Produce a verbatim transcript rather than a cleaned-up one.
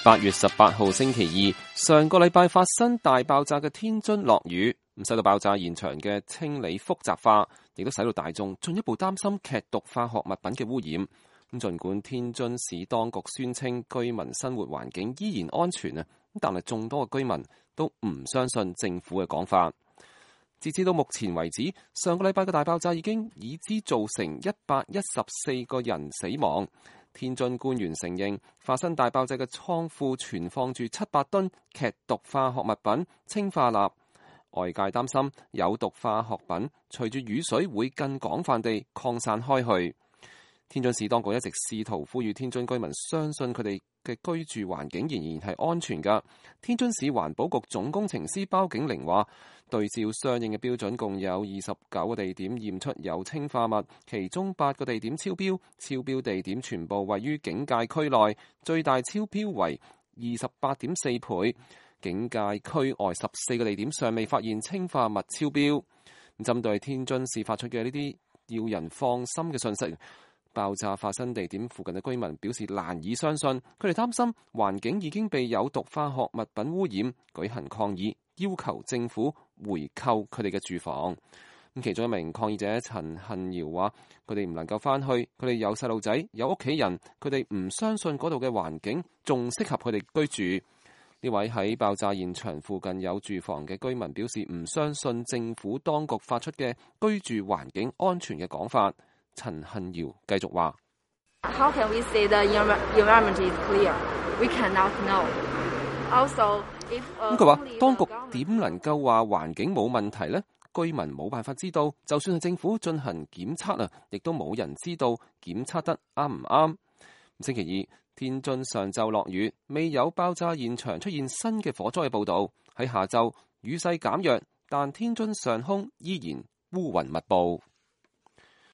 八月十八號星期二，上個禮拜發生大爆炸嘅天津落雨，咁使到爆炸現場嘅清理複雜化，亦都使到大眾進一步擔心劇毒化學物品嘅污染。咁儘管天津市當局宣稱居民生活環境依然安全啊，但係眾多嘅居民都唔相信政府嘅講法。截至到目前為止，上個禮拜嘅大爆炸已經已知造成一百一十四個人死亡。天津官員承認，發生大爆炸嘅倉庫存放住七百噸劇毒化學物品氰化鈉，外界擔心有毒化學品隨住雨水會更廣泛地擴散開去。天津市當局一直試圖呼籲天津居民相信佢哋嘅居住環境仍然係安全㗎。天津市環保局總工程師包景玲話，對照相應嘅標準，共有二十九個地點驗出有氰化物，其中八個地點超標，超標地點全部位於警戒區內，最大超標為二十八點四倍。警戒區外十四個地點尚未發現氰化物超標。針對天津市發出嘅呢啲要人放心嘅信息，爆炸發生地點附近嘅居民表示難以相信，佢哋擔心環境已經被有毒化學物品污染，舉行抗議，要求政府回購佢哋嘅住房。咁其中一名抗議者陳幸堯話：佢哋唔能夠翻去，佢哋有細路仔，有屋企人，佢哋唔相信嗰度嘅環境仲適合佢哋居住。呢位喺爆炸現場附近有住房嘅居民表示唔相信政府當局發出嘅居住環境安全嘅講法。陳幸堯繼續話：How can we say the environment is clear? We cannot know. Also, if 咁佢話，當局點能夠話環境冇問題呢？居民冇辦法知道，就算係政府進行檢測啊，亦都冇人知道檢測得啱唔啱。星期二，天津上晝落雨，未有爆炸現場出現新嘅火災嘅報導。喺下晝，雨勢減弱，但天津上空依然烏雲密佈。